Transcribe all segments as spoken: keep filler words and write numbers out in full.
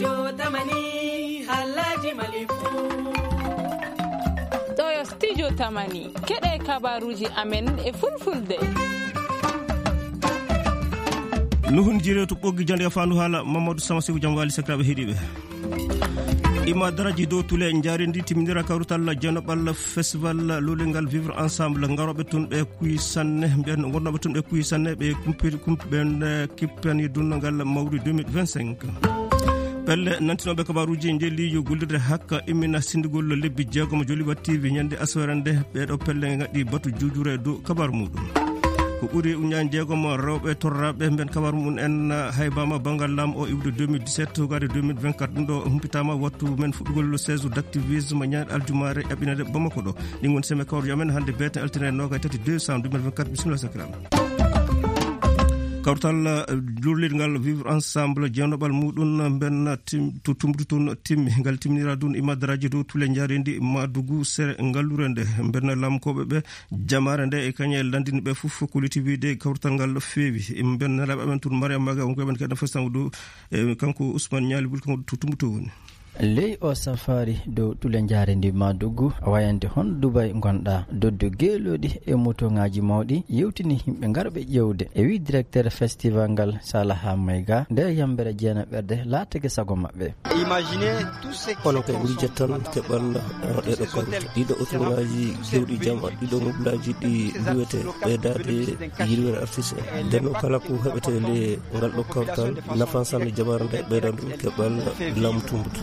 Studio Tamani, halaji malifu. Ɗo yo Studio Tamani, keɗe kabaruji amen e fulfulde. Nuhun jire to ɓoggi jande fandu hala Mamadou Sama Sekou Jam Wali sakiraɓe heɗiɓe. Ima daraji dow tule njarindi timminira kawrutal jenoɓal festival lulingal Vivre Ensemble, ngaroɓe tun ɓe kuyi sanne, ɓen wonnoɓe tun ɓe kuyi sanne, ɓe kumpiri, kumpi ɓen, eh, kippani dunngal mawri deux mille vingt-cinq. Pelle nantinoɓe kabaruji nde liijo gollirde hakka immina sindugol lebbi jeegomo Joliba T V ñande aswere nde, ɓeɗo pelle ngaɗi batu jujure dow kabaru muɗum. Ko ɓuri uñaani jeegomo rewɓe torraɓe mben kabaru mum en haybama banngal laamu o iwde deux mille dix-sept, hogade deux mille vingt-quatre. Ɗum ɗo humpitama wattu men fuɗɗugol seize d'activisme ñande aljumare eɓɓinede Bamako ɗo. Ɗin woni seme kawruji amen hannde beete altine noga e tati décembre deux mille vingt-quatre. Bisimilla sakiraɓe. Kawtal, eh, lurlirgal Vivre Ensemble, jeenɗoɓal muɗum mben tim-, to tumbutu tun timmi. Ngal timminira ɗum imadaraaji dow tule njarendi Madugu sere ngallure nde. Mben lamkoɓe ɓe jamare nde e kañe landini ɓe fof ko liti wiide kawtal ngal feewi. Mben nelaɓe amen tun Mariam Maga, on ko ɓen kadi fo sango dow, eh, kanko Ousmane Ñaali Bul, kanko to tumbutu woni. Ley o safari dow tule njarendi Madugu, a wayande hon Dubai ngonɗa, doddu geelooɗi e motoŋaaji mawɗi yewtini yimɓe ngarɓe ƴeewde. E wi directeur festival ngal, Salaha Mayga, nde yambere jeena ɓerde laatake sago maɓɓe. Onon kay ɓuri jettan keɓal, eh, ɗeɗo kawrita. Ɗiɗo otoŋaaji kewɗi jama, ɗiɗo mobilaaji ɗi luwete, ɓeydaade yirwere artiste en. Nden noon kala ko heɓete le ngal ɗo kawtal, nafan sanne jamare nde ɓeydan ɗum keɓal laamu tumbutu.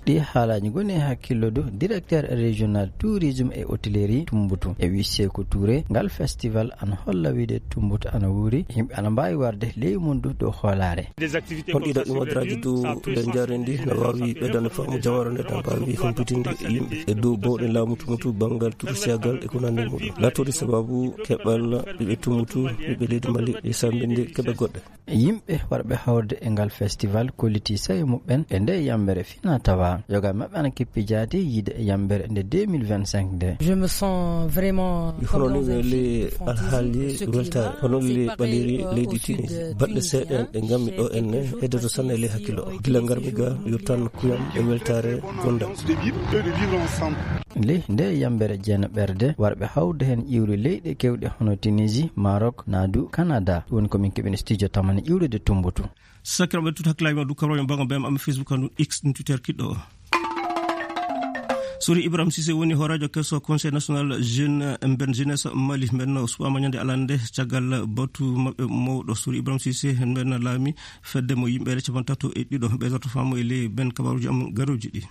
Ɗi haalaaji ngoni e hakkillo dow directeur régional tourisme et hôtellerie Tumbutu. E wi Seeku Touré, ngal festival ana holla wiide Tumbutu ana wuuri, yimɓe ana mbaawi warde ley mum du dow hoolaare. Hol ɗiɗo imadraji dow tule njarendi na waawi ɓeydande faamu jamare nde, na mbaawi humpitinde yimɓe e dow bawɗe laamu Tumbutu banngal tursiyagal e ko nanndi muɗum. Laatoɗi sababu keɓal ɓiɓɓe Tumbutu, ɓiɓɓe leydi Mali, e sambinde keɓe goɗɗe. Yimɓe warɓe hawrde e ngal festival kolliti sawe muɓɓen e nde yambere fina tawa. Yoga maɓɓe ana kippi jaati yiide e yambere nde deux mille vingt-cinq nde. Je me sens vraiment Mi hono comme ni dans un weli film fantasy. Alhaali Ce qui weltaare, hono weli ɓaleeri leydi Tunisie. Baɗɗe seeɗa en ɗe ngammi ɗo en ne, heddoto sanne e ley hakkillo o. Gila ngarmi ga, yo tan kuyam e weltaare gonda. Ley nde yambere jeena ɓerde, warɓe hawde heen iwri leyɗe kewɗe hono Tunisie, Maroc, naa du Canada. Ɗum woni ko min keɓini studio tamani iwrude Tumbutu. Sakiraɓe tut hakkilaaji ma du kabroje mbago bem am Facebook, andun X, ɗum Twitter kiɗɗo o. Sori Ibrahim Cissé woni hooreejo keso Conseil National Jeune, mben Jeunesse Mali, mben no suɓama ñande alande caggal batu maɓɓe mawɗo. Sori Ibrahim Cissé mben laami fedde mo yimɓe capantato e ɗiɗo ɓe torto famo e ley ben kabaruji am garoji ɗi.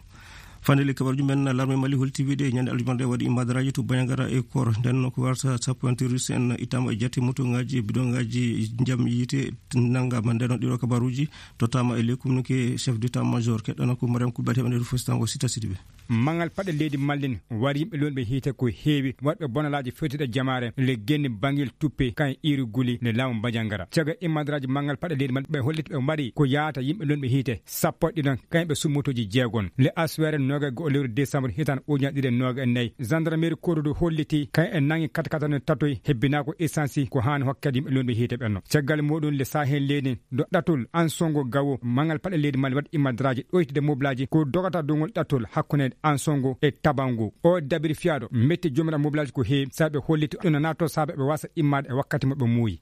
Fande le kabaruji men, larme Mali holti wiide ñande aljumande waɗi imadraji to Bandiagara e Koro. Nden no ko warta sappo en terroriste en ittama e jate moto ngaji, bidon ngaji jam yiite nangama. Nden no ɗiɗo kabaruji tottama e le communiqué chef d'état major. Keɗɗana ko Mariam Koulibaly heɓande ɗo fo stango Sita Sidibé. Mangal paɗe leydi Mali wari yimɓe lonɓe hiite ko heewi, waɗɓe bonalaaji fewtiɗe jamaare, le genni bangil tuppe, kan iri guli, le laamu Bandiagara. Caga imadraji mangal paɗe leydi Mali ɓe holliti ɓe mari ko yaata yimɓe lonɓe hiite sappo e ɗiɗon, kayen ɓe summotoji jeegon. Le aswere noga go lewru décembre hitan ujunaji ɗiɗi e noga e nayi. Gendarmerie Korodu holliti kayen e nangi katakata no tatoy hebbina ko essence ko hani hokkede yimɓe lonɓe hiite ɓenno. Caggal muɗum le Sahel leydi do ɗatol Ansongo gawo mangal paɗe leydi Mali waɗi imadraji ɗoytude mobilaji ko dogata dongol ɗatol hakkunde Ansongo e Tabango. O dabiri fiyaɗo metti jomiraɓe mobilaji ko heewi saɓe holliti ɗum no natto saɓe ɓe wasa immade e wakkati mo ɓe muuyi.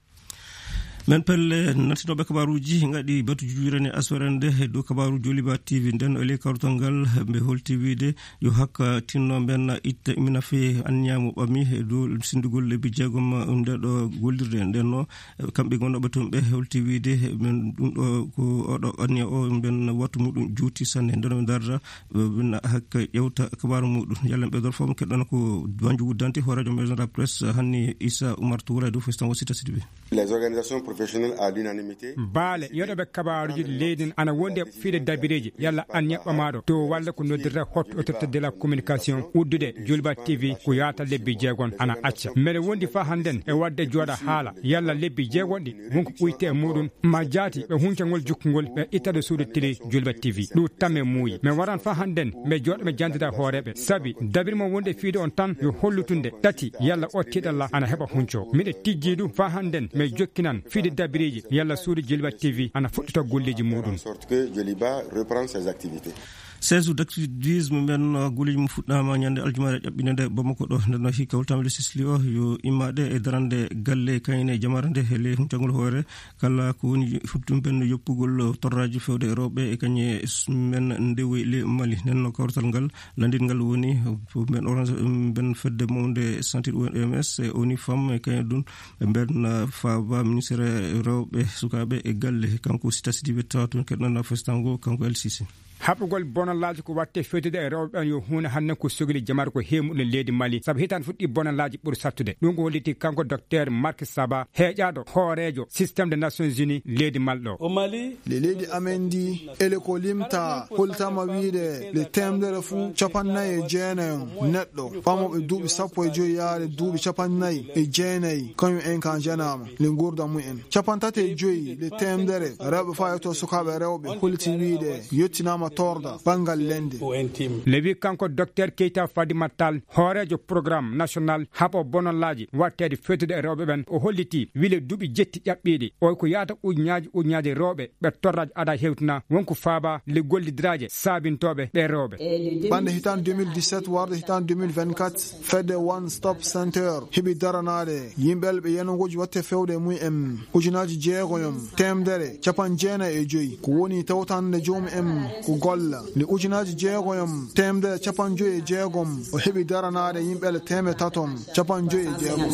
Men pelle nantinoɓe kabaruji ngaɗi batu jujurene aswere nde e dow kabaru Joliba T V. Nden o ley kawrutal ngal ɓe holti wiide yo hakka tinno mben itta imina fe anniya mo ɓami e dow sindugol lebbi jeegom nde ɗo gollirde. Nden no kamɓe gonnoɓe toon ɓe holti wiide men ɗum ɗo ko oɗo anniya o mben wattu muɗum juuti sanne. Nden o darda ɓe hakka ƴewta kabaru muɗum. Yalla ɓe dor foof keɗɗon ko Banjugu Dante hoorejo maison de la presse hanni Issa Oumar Touré dow festan o Sita Sidibé. Les organisations professionnelles à l'unanimité. Baale yoɗoɓe kabaaruji leydi n ana wondi e fiide dabireeji yalla an ñaɓɓamaaɗo to walla ko noddirta hotto autorité de la communication uddude Julba T V ko yaata lebbi jeegon ana acca. Mbeɗa wondi faa hannden e waɗde jooɗa haala yalla lebbi jeegon ɗi wonko ɓuyte e muɗum ma jaati ɓe huncangol jukkungol ɓe ittade suudu télé Julba T V. Ɗum tamme muuyi. Men waran faa hannden mbe jooɗo mbe jantida hooreeɓe. Sabi dabir mo wonde fiide on tan yo hollutunde tati yalla o tiiɗalla ana heɓa hunco. Miɗe tijjii ɗum faa hannden mbe jokkinan fiide Dabireeji, yalla suudu Joliba T V ana fuɗɗita golleeji muuɗum. Sorte que Joliba reprend ses activités. Seesu d'activisme men, uh, golleeji mum fuɗɗaama ñande aljumaare ƴaɓɓinde nde Bamako ɗo. Nden no hikka holtaama le sisli o yo immaade e darande galle kayne jamaare nde he ley huncagol hoore. Kala ko woni fuɗɗum ben yoppugol torraaji fewde e rewɓe e kañe s-, men ndewoy le Mali. Nden no kawrital ngal lanndingal woni ben orange, ben fedde mawnde sentir O M S e O N U Femmes e kañe ɗum. Ɓe mbeɗa faaba ministre rewɓe, sukaaɓe e galle, kanko Sita Sidibe tawa toon keɗɗanɗaa festango, kanko L C C. Haɓugol bonallaaji ko waɗte fewtude e rewɓe ɓen yo huunde hannde ko sogili jamaare ko heemuɗo leydi Mali, sabu hitaande fuɗɗi bonallaaji ɓuri sattude. Ɗum ko holliti kanko Docteur Marc Saba, heeƴaaɗo hooreejo système des Nations Unies leydi Mali ɗo. Au Mali, le leydi amen ndi, ele ko limta, holtama wiide le temedere fuu capanɗe nayi e jeenayi on neɗɗo. Ɓamooɓe duuɓi sappo e joy yaade duuɓi capanɗe nayi e jeenayi, kañum en kan janaama le nguurda mum en. Capanɗe tati e joy le temedere rewɓe fayotoo sukaaɓe rewɓe holti wiide yettinaama torda banngal lende. Le wi kanko Docteur Keita Fadimat Tall, hooreejo programme national haɓo bonallaaji watteede fewtude e rewɓe ɓen. O holliti wile duuɓi jetti ƴaɓɓiiɗi. O ko yaata ujunnaaji ujunnaaji rewɓe ɓe torraaji ada hewtina wonko faaba le gollidiraaje saabintooɓe ɓe rewɓe. Bannde hitaande deux mille dix-sept warde hitaande deux mille vingt-quatre, fedde One Stop Center heɓi daranaade yimɓe ɓe yenogooji watte fewde e mum en ujunnaaji jeegoyom, teemedere, capanɗe jeenayi e joy. Ko woni tawtande joomum en ko golla. Nde ujunnaaji jeegoyom, teemedere, capanɗe joy e jeegom, o heɓi daranaade yimɓe teemedere tatom, capanɗe joy e jeegom.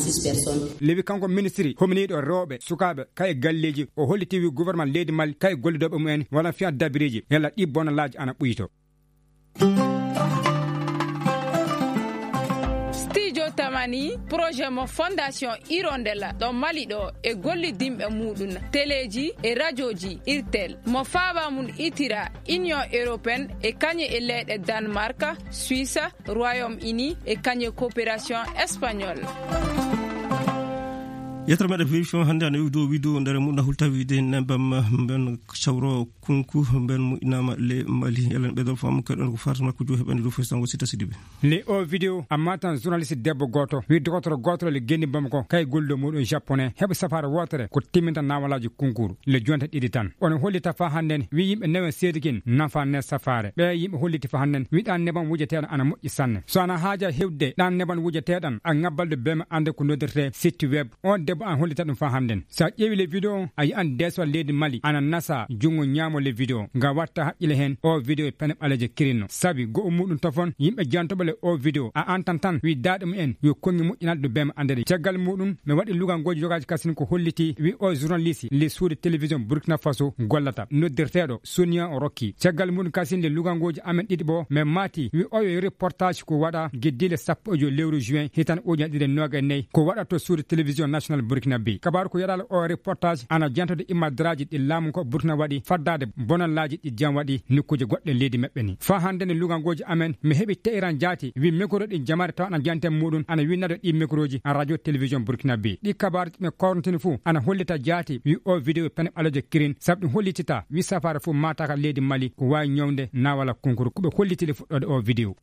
Lewi kanko ministri hominiiɗo rewɓe, sukaaɓe, kay e galleeji, o holliti wi gouvernement leydi Mali, kay gollidooɓe mum en, wala fiya dabireeji, yalla ɗi bonalaaji ana ɓuyto. Studio Tamani, projet mo Fondation Hirondella ɗo Mali ɗo e gollidinɓe muɗum, teleeji e rajooji Irtel, mo faaba mum itira Union Européenne e kañe e leyɗe Danemark, Suisse, Royaume-Uni e kañe coopération espagnole. Yettere meɗen vérifié hannde ana yowi dow wido nder mum na hulta wiide nebam mben cawro kunku mben mu inama le Mali. Elen ɓeɗol fam keɗon ko farta makko jo heɓani dow festango Sita Sidibe. Le o vidéo amma tan journaliste debbo goto wi dokotoro goto le gendi bamako kay gollo muɗum japonais heɓa safara wotere ko timminta nawalaji kunkuru le jonta ɗiɗi tan. Ono hollita fa hannden wi yimɓe newen seedikin nafa ne safare. Ɓe yimɓe holliti fa hannden wi ɗan neban wujeteɗo ana moƴƴi sanne. So ana haaja hewde ɗan neban wujeteɗan a ŋabbalde bema ande ko noddirte site web. On debbo an hollita ɗum fa hannden. Sa ƴeewi le vidéo on, a yi'an deeswal leydi Mali ana nasa junngo ñaamo le vidéo. Nga watta haqqile heen, o vidéo e pene ɓaleeje kirinno. Sabi go'o muɗum tofon, yimɓe jantoɓe le o vidéo, a antan tan wi daaɗe mumen yo konngi moƴƴinal ɗo bema andere. Caggal muɗum, mi waɗi lugangooji yogaaji kasin ko holliti wi o journaliste le suudu télévision Burkina Faso gollata, noddirteeɗo Sonia Rocky. Caggal muɗum kasin le lugangooji amen ɗiɗi ɓo, mi maati wi oyo reportage ko waɗa geddi le sappo e joy lewru juin hitan ujunere ɗiɗi e noogay nayi ko waɗa to suudu télévision national Burkina Faso. Kabaaru ko yaɗaale o reportage ana jantode immadraaji ɗi laamu ko Burkina waɗi faddaade bonallaaji ɗi jam waɗi nokkuuje goɗɗe leydi maɓɓe ni. Fa hannde ne lugangooji amen mi heɓi te'iran jaati wi micro ɗi jamaare tawa ana janten muɗum ana winnade ɗi microji a radio télévision Burkina Faso. Ɗi kabaaru ɓe korntini fuu ana hollita jaati wi o vidéo pene ɓaleejo kirin sabu ɗum hollitita wi safaara fuu maataka leydi Mali ko waawi ñawde nawala kunkuru ko ɓe hollitili fuɗɗoode o vidéo.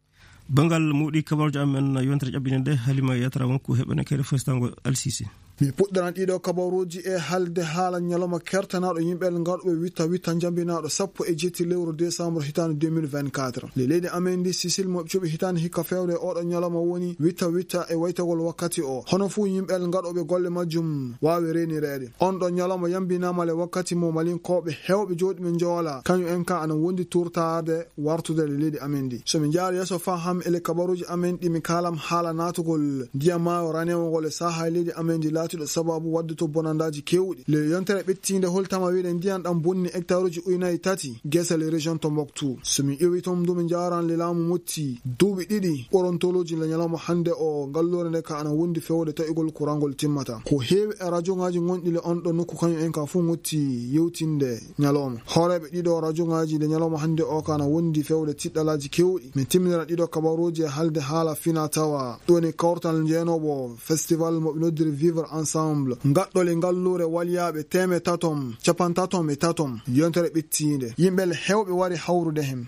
Banngal muɗi kabaruuji amen yontere ƴaɓɓinde nde Halima Yatara wonko heɓene kede festango L C C. Mi puɗɗaran ɗiɗo kabaruuji e halde haala ñalawma kertanaaɗo yimɓe ngarɗuɓe witta witta njambinaaɗo sappo e jetti lewru décembre hitaande deux mille vingt-quatre. Le leydi amen ndi Sicile mo cuɓi hitaande hikka fewre oɗo ñalawma woni witta witta e waytagol wakkati o. Hono fuu yimɓe ngarɗuɓe golle majjum waawi reenireede. On ɗo ñalawma yambinaama le wakkati mo Malinkooɓe heewɓe jooɗi ɓe njoola, kañum en ka ana wondi turtaade wartude le leydi amen ndi. So mi njaara yeeso faham e le kabaruuji amen ɗi mi kaalam haala naatugol ndiyam maayo ranewngol e sahaa e leydi amen ndi laatiiɗo sababu waɗde to bonandaaji keewɗi. Le yontere ɓettiinde holtama wiide ndiyam ɗam bonni hectare uji ujunaji tati gese le région Tombouctou. So mi ƴeewi toon ndu mi njaaran le laamu motti duuɓi ɗiɗi ɓorontolooji le ñalawma hannde o ngalluure nde ka ana wondi fewde taƴugol kurangol timmata. Ko heewi e rajongaaji gonɗi le on ɗo nokku kañum en ka fuu ngotti yewtinde ñalawma. Hooreeɓe ɗiɗo rajongaaji nde ñalawma hannde o ka na wondi fewde tiɗɗalaaji keewɗi. Min timminira ɗiɗo kabaruuji e halde haala fina tawa. Ɗum woni kawtal njeenoowo festival mo ɓe noddiri Vivre Ensemble. Ngaɗɗole ngalluure walyaaɓe teeme tatom, capantatom e tatom, yontere ɓettiinde. Yimɓe le heewɓe wari hawrude heen.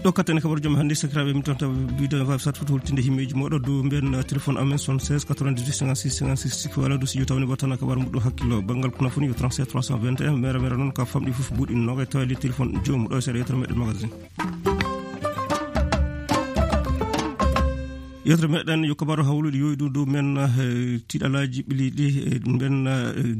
Ɗo kattane kabar jom hannde, sakiraaɓe, min tonta video website foto holtinde himmeeji mooɗo dow mbiyen, uh, téléphone amen soixante-seize quatre-vingt-dix-huit cinquante-six cinquante-six, sikki wala dow si yewtaani wata na kabar muɗo hakkillo. Banngal kuna foni yo trente-sept trois cent vingt et un, mere mere noon ka famɗi fof buuɗi noga e tawali téléphone joomu ɗo e seeɗa yewtere meɗen magazine. Yewtere meɗen yo kabaru hawluɗi yoyɗu dow men, eh, tiɗalaji ɓiliɗi, eh, mbiyen, eh,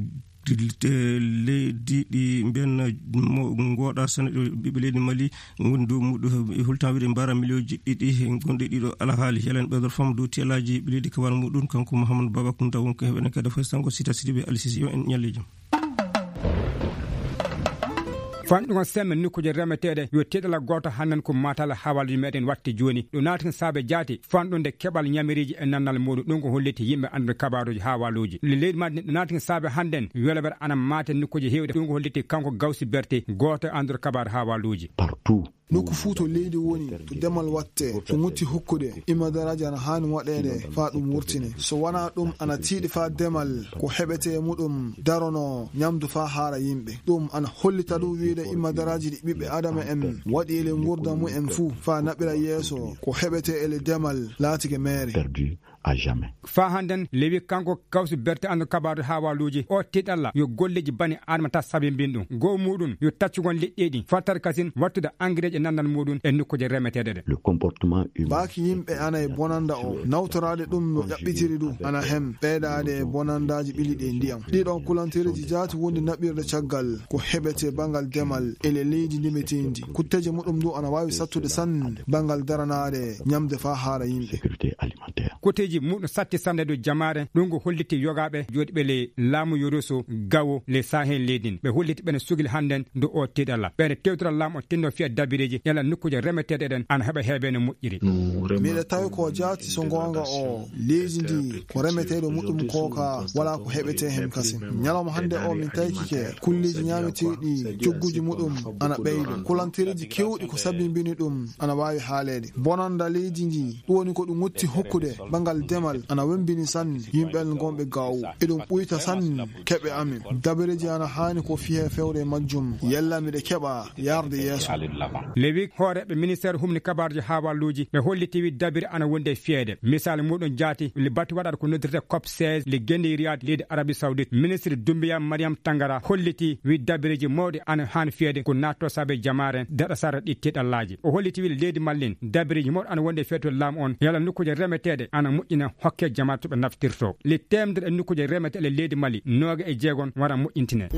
leydi ɗi mbiyen mo ngoɗa sene ɗo ɓiɓɓe leydi Mali woni dow muɗum e hultan wiɗe mbara miliyoji ɗiɗi gonɗi ɗiɗo alhaali. Yalen ɓeydor fam dow tiyalaji ɓe leydi kabar muɗum kanko Mouhamadou Baba Kounta wonko heɓene kadi fof sango sita sidi ɓe alisisi yo en ñalli jam. Fanɗugo semme nokkuuje remeteeɗe yo tiɗala gooto hannden ko matal hawalji meɗen watti jooni. Ɗo naati saabe jaati fanɗunde keɓal ñamiriji e nannal muɗum. Ɗum ko holliti yimɓe anndude kabaruuji hawalluuji. Le leydi Mali ɗo naati saabe hannden welawel ana maate nokkuuje heewɗe. Ɗum ko holliti kanko Gawsi Berti, gooto e anndude kabaru hawalluuji. Partout. Nokku fuu to leydi woni, to demal watte, ko ŋutti hokkude, imma daraaji ana haani waɗeede faa ɗum wurtine. So wanaa ɗum, ana tiiɗi faa demal ko heɓetee e muɗum darono ñamdu faa haara yimɓe. Ɗum ana hollita ɗum wiyde imma daraaji ɗi ɓiɓɓe Adama en waɗi ele nguurndam mumen fuu faa naɓira yeeso ko heɓetee ele demal laatike meere. Perdu à jamais. Faa hannden lewi kanko Kawsu Berte anndu kabaaru hawalluuji o tiɗalla yo golleeji bani Adama ta sabimbin ɗum. Goo muɗum yo taccugol liɗɗeeji fattat kasin wattude engrais e nannal muɗum e nokkuuje remeteeɗe ɗe. Le comportement humain. Baaki yimɓe ana e bonanda o, nawtoraade ɗum no ƴaɓɓitiri ɗum ana hem ɓeydaade e bonandaaji ɓili ɗe ndiyam. Ɗiɗon kulantereeji jaati wondi naɓirde caggal ko heɓete banngal demal ele leydi ndimeteendi. Kutteeje muɗum ɗum ana waawi sattude sanne banngal daranaade ñamde faa haara yimɓe. Sécurité alimentaire. Koteeji muɗum satti sannde dow jamaare, ɗum ko holliti yogaaɓe jooɗiiɓe le laamu Yoroso gawo le Sahel leydi. Ɓe holliti ɓene sugil hannden dow o tiɗalla. Ɓene tewtora laamu o tinno fiya dabireeji yala nokkuuje remeteeɗe ɗen ana heɓa heeɓe no moƴƴiri. Miɗa tawi ko jaati so goonga o leydi ndi ko remeteeɗo muɗum ko ka wala ko heɓetee hen kasin. Ñalawma hannde o min tawkike kulleeji ñaameteeɗi cogguuji muɗum ana ɓeydo. Kulantereeji keewɗi ko sabimbini ɗum ana waawi haaleede. Bonanda leydi ndi ɗum woni ko ɗum wutti hokkude banngal demal ana wembini sanne yimɓe gonɓe gawo. Eɗum ɓuyta sanne keɓe amin. Dabareeji ana haani ko fiye fewre majjum. Yalla miɗe keɓa yarde yeeso. Lewi hooreeɓe ministeer humni kabaarji hawalluuji ɓe holliti wi dabiri ana wonde fiyeede. Misal muɗum jaati le batti waɗata ko noddirte cop seize le gende Riyad leydi Arabie Saoudite. Ministre Doumbouya Mariam Tangara holliti wi dabireeji mawɗi ana haani fiyeede ko naatto saabe jamaare daɗa sara ɗi tiɗallaaji. O holliti wi leydi Mali ndin dabireeji mawɗi ana wonde fiyeede to laamu on yala nokkuuje remeteeɗe ana moƴƴina hokke jamaare to ɓe naftirto. Le teemedere e nokkuuje remeteeɗe leydi Mali nooga e jeegon wara moƴƴintine.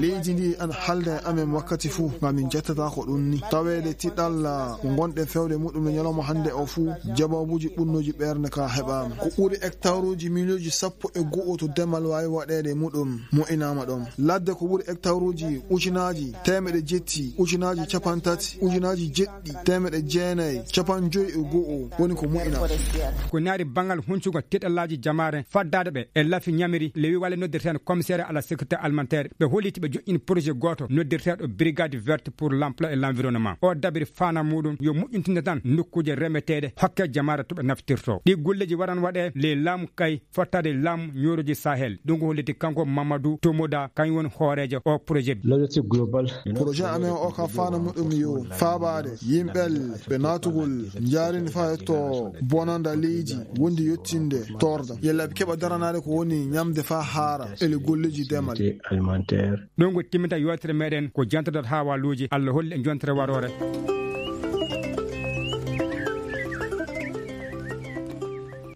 Leydi ndi ana halda e amen wakkati fuu, ngam min jettata ko ɗum ni. Taweede tiɗalla ko ngonɗen fewde muɗum no ñalawma hannde o fuu, jabaabuuji ɓunnooji ɓernde ka heɓaama. Ko ɓuri hectaruuji miliyooji sappo e go'o to demal waawi waɗeede muɗum mo'inaama ɗon. Ladde ko ɓuri hectaruuji ujunaaji teemeɗe jetti, ujunaaji capantati, ujunaaji jeɗɗi, teemeɗe jeenayi, capanɗe joyi e go'o woni ko mo'inaama. Ko naari banngal huncugol tiɗallaaji jamaare faddaade ɓe e lafi ñamiri, lewi wale noddirteen commissaire à la sécurité alimentaire, ɓe holliti ɓe joƴƴini projet gooto noddirteeɗo Brigade Verte pour l'Emploi et l'Environnement. O dabiri faana muɗum yo moƴƴintinde tan nokkuuje remeteeɗe hokke jamaare to ɓe naftirto. Ɗi golleeji waran waɗe ley laamu kay fottaade laamu ñooroji Sahel. Ɗum ko holliti kanko Mamadou Tomoda, kañum woni hooreejo o projet. L'objectif global. Projet amen o ka faana muɗum yo faabaade yimɓe ɓe naatugol njaarindi faa yetto bonanda leydi wondi yottinde torda. Yalla ɓe keɓa daranaade ko woni ñamde faa haara ele golleeji demal. Sécurité alimentaire. Ɗum ko timminta yewtere meɗen ko jantodat hawalluuji. Allah holli en jontere waroore.